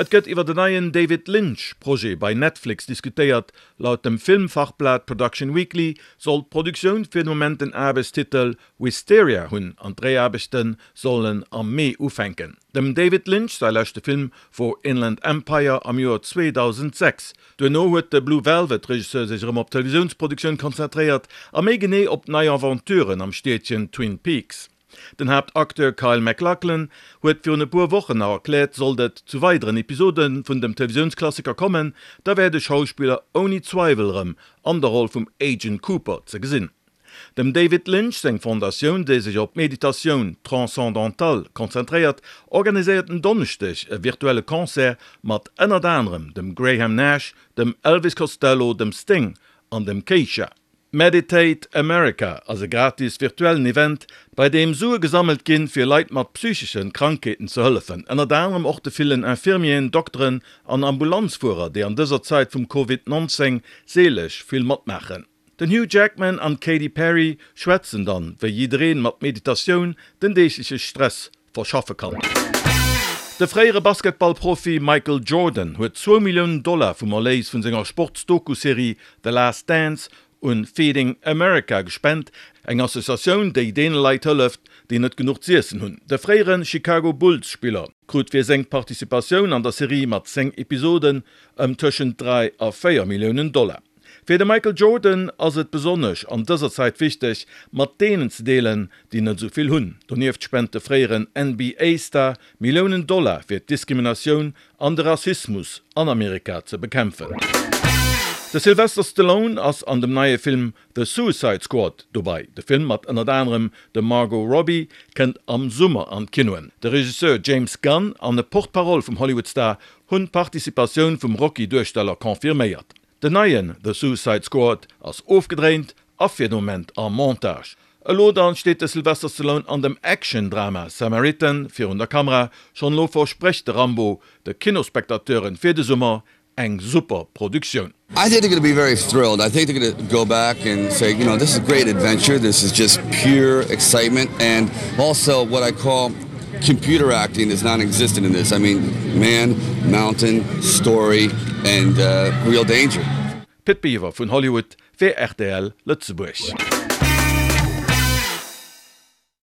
Et gëtt iwwer en neien David Lynch Projet bei Netflix diskutéiert. Laut dem Filmfachblat Production Weekly soll d'Produktioun fir de Moment den Aarbechtstitel Wisteria hunn an d'Dréiaarbechte sollen am Mee ufänken. Dem David Lynch säi leschte Film wor Inland Empire am Joer 2006. Duerno huet de Blue Velvet Regisseur sech erëm op d'Televisiounsproduktioun konzentréiert a méi genee op nei Aventuren am Stiedchen Twin Peaks. Den Haaptacteur Kyle MacLachlan huet virun e puer Wochen nach erkläert, sollt et zu weideren Episode vun dem Televisiounsklassiker kommen, da wär de Schauspiller ouni Zweiwel erëm an der Roll vum Agent Cooper ze gesinn. Dem David Lynch seng Fondatioun, déi sech op d'Meditatioun transcendantale konzentréiert, organiséiert en Donneschdeg e virtuelle Concert mat ënnert anerem dem Graham Nash, dem Elvis Costello, dem Sting an dem Kesha. Meditate America ass e gratis virtuellen Event, bei deem Sue gesammelt ginn, fir Leit mat psychesche Krankheeten ze hëllefen, ënnert anerem och de villen Infirmieren, Dokteren an Ambulanzfuerer, déi an dëser Zait vum Covid 19 seelesch vill matmaachen. Den Hugh Jackman an d'Katy Perry schwätzen dann, wéi jiddereen mat Meditatioun den deegleche Stress verschaffe kann. De fréiere Basketballprofi Michael Jordan huet zwou Milliounen Dollar vum Erléis vun senger Sports-Doku-Serie The Last Dance un Feeding America gespent, eng Associatioun, déi deene Leit hëlleft, déi net genuch z'iessen hunn. De fréiere Chicago Bulls-Spiller krut fir seng Participatioun an der Serie mat 10 Episoden ëm tëschent 3 a 4 Milliounen Dollar. Fir de Michael Jordan ass et besonnesch an dëser Zäit wichteg, mat deenen ze deelen, déi net esou vill hunn. Donieft spent de fréieren NBA-Star Milliounen Dollar fir d'Diskriminatioun an de Rassismus an Amerika ze bekämpfen. De Sylvester Stallone ass an dem neie Film The Suicide Squad dobei. De Film mat ënnert anerem dem Margot Robbie kënnt am Summer an d'Kinoen. De Regisseur James Gunn an e Porte-parole vum Hollywood-Star hunn d'Participatioun vum Rocky-Duersteller confirméiert. Den neien The Suicide Squad ass ofgedréint a fir de Moment am Montage. Elo dann steet de Sylvester Stallone an dem Action-Drama Samaritan virun der Kamera. Schonn elo versprécht de Rambo de Kinospectateuren fir de Summer eng super Produktioun. I think they're gonna be very thrilled. I think they're gonna go back and say, you know, this is a great adventure, this is just pure excitement and also what I call Computer acting is non-existent in this, I mean man, mountain, story and real danger. Pit Biwer vun Hollywood fir rtl Lëtzebuerg.